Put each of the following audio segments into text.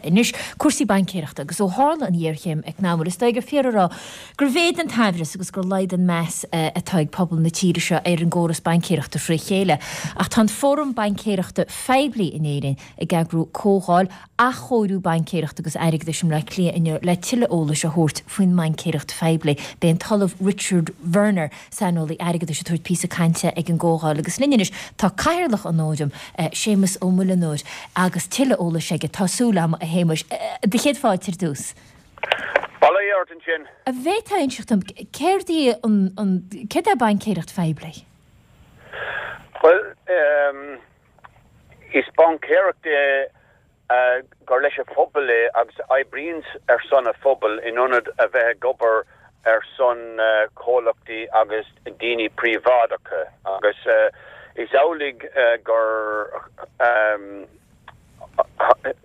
anois, cúrsaí baincéireachta agus ó tharla an ghéarchéim eacnamúil, is dóigh gur fíor a rá gur mhéadaigh an t-aimhreas agus gur laghdaigh an meas atá ag pobal na tíre seo ar an gcóras baincéireachta fré chéile. Ach tá an Fóram Baincéireachta Phoiblí in Éirinn ag eagrú comhdháil athchóiriú baincéireachta agus airgeadais i mBleá Cliath inniu le tuilleadh eolais a thabhairt faoin mbaincéireacht phoiblí. Beidh an tOllamh Richard Werner, saineolaí airgeadais, ag tabhairt píosa cainte ag an gcomhdháil agus linn anois tá Cathaoirleach an Fhóraim, Séamus Ó Muileanóir, agus tuilleadh eolais aige, tá súil agam, a Shéamuis. Do chéad fáilte ar dtús. Bail ó Dhia ort ansin. An bhféadfá a inseacht dom céard í an, céard é baincéireacht phoiblí? Bhuel, Is baincéireacht é gur leis an phobal é agus a oibríonns ar son an phobail in ionad a bheith ag obair ar son comhlachtaí agus daoine príobháideacha agus is amhlaidh gur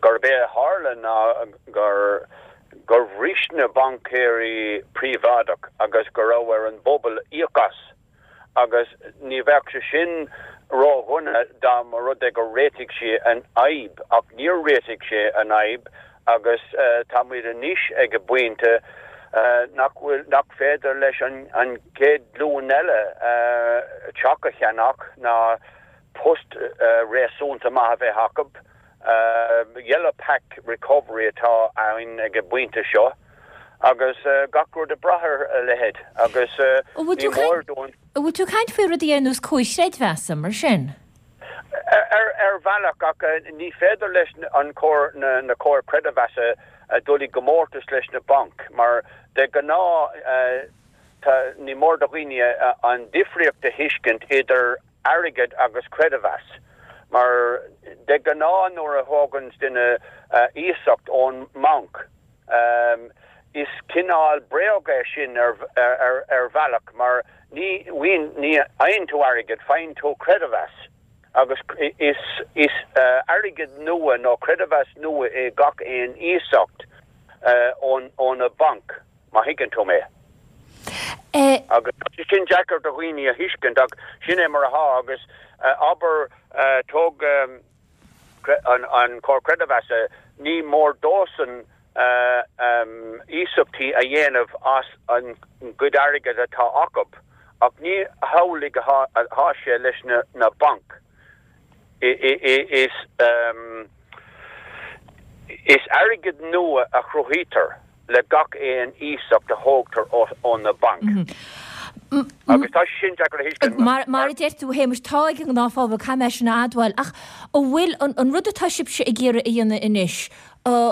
gurb é a tharla ná gur gur bhris na baincéirí príobháideach agus go raibh ar an bpobal íoc as. agus ní bheadh sé sin ródhona dá mba rud é gur réitigh sé an fhadhb, ach níor réitigh sé an fhadhb agus tá muid anois ag an bpointe nach bhfuil, nach féidir leis an gcéad ghlúin eile teach a cheannach ná post réasúnta maith a bheith acu. Yellow Pack Recovery atá ann ag an bpointe seo. Agus gach rud ag brath ar a leithéid agus ní mór dúinn. An bhfuil tú ag caint faoi rudaí ar nós comhair chreidmheasa, mar sin? Ar bhealach, ach ní féidir leis an comhar, na comhair creidmheasa dul i gcomórtas leis na bainc mar de ghnáth tá, ní mór do dhaoine an difríocht a thuiscint idir airgead agus creidmheas, mar de ghnáth nuair a thógann duine iasacht ón mbanc, is cineál bréag é sin ar bhealach mar ní fhaigheann tú airgead, faigheann tú creidmheas agus is airgead nua nó creidmheas nua é gach aon iasacht ó na bainc. má thuigeann tú mé. Agus tá sé sin deacair do dhaoine a thuiscint ach sin é mar atá agus abair tóg an Comhar Creidmheasa, ní mór dósan iasachtaí a dhéanamh as an gcuid airgid atá acu ach ní hamhlaidh atá sé leis na bainc. Is Is airgead nua a chruthaítear le gach aon iasacht a thógtar ó na bainc. Agus tá sé sin deacair a thuiscint. Mar a deir tú, a Shéamais, tá ag an ngnáthphobal, caithfidh mé sin a admháil. Ach an bhfuil an rud atá sibhse ag iarraidh a dhéanamh anois, an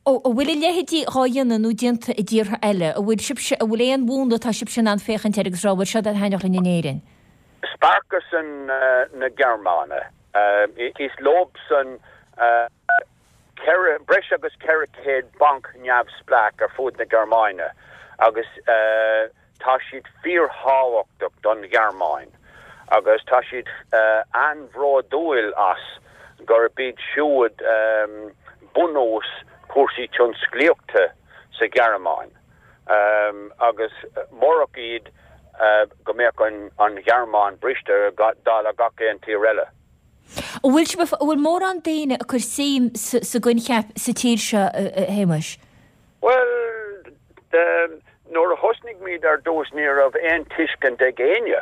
bhfuil a leithéidí dhá dhéanamh nó déanta i dtíortha eile? An bhfuil sibhse, an bhfuil aon mhúnla atá sibhse in ann féachaint air agus rá, bhuel, seo a thaitneodh linn in Éirinn? Sparkassen na Gearmáine. Is leobsan breis agus 400 banc neamhspleách ar fud na Gearmáine agus tá siad fíorthábhachtach don Ghearmáin agus tá siad an-bhródúil as gurb iad siúd bunús cúrsaí tionsclaíochta sa Ghearmáin agus murach iad go mbeadh an Ghearmáin briste dála gach aon tír eile. An bhfuil sibh, an bhfuil mórán daoine ag cur suim sa gcoincheap sa tír seo, a Shéamais? Bhuel, nuair a thosnaigh muid ar dtús ní raibh aon tuiscint ag éinne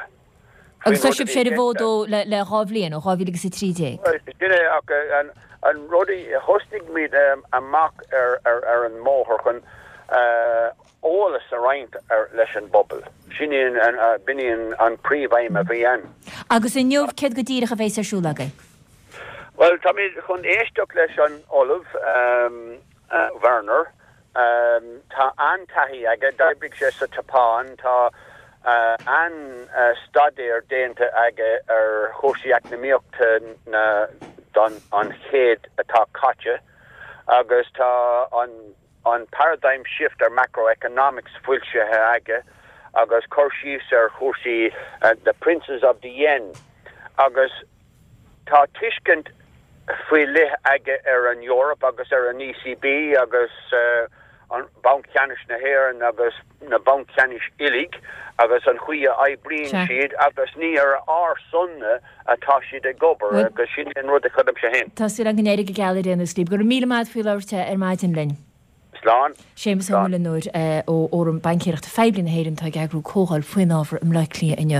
Agus tá sibhse ar an bhfód ó le 2 bhliain, ó 2013. Sin é, ach an rud a thosnaigh muid amach ar an mbóthar chun eolas a roinnt leis an bpobal. Sin é an, b'in í an príomhaidhm a bhí ann. Agus inniu, céard go díreach a bheas ar siúl agaibh? Bhuel, táimid chun éisteacht leis an Ollamh Werner. Tá an-taithí aige, d'oibrigh sé sa tSeapáin, tá an-staidéar déanta aige ar chúrsaí eacnamaíochta na don an chéad atá caite agus tá an an Paradigm Shift ar Macroeconomics foilsithe aige agus cur síos ar chúrsaí The Princes of the Yen agus tá tuiscint faoi leith aige ar an Eoraip agus ar an ECB agus. an Banc Ceannais na hÉireann agus na bainc cheannais uilig agus an chaoi a oibríonn siad agus ní ar ár son-na atá siad ag obair agus sin an rud a chreidim-se féin. Tá súil agam go n-éireoidh go geal ar aon nós libh. Go raibh míle maith agat faoi labhairt ar maidin linn. Slán. Séamus Ó Muileanóir ó Fhóram Baincéireachta Phoiblí na hÉireann atá ag eagrú comhdháil faoin ábhar i mBleá Cliath inniu.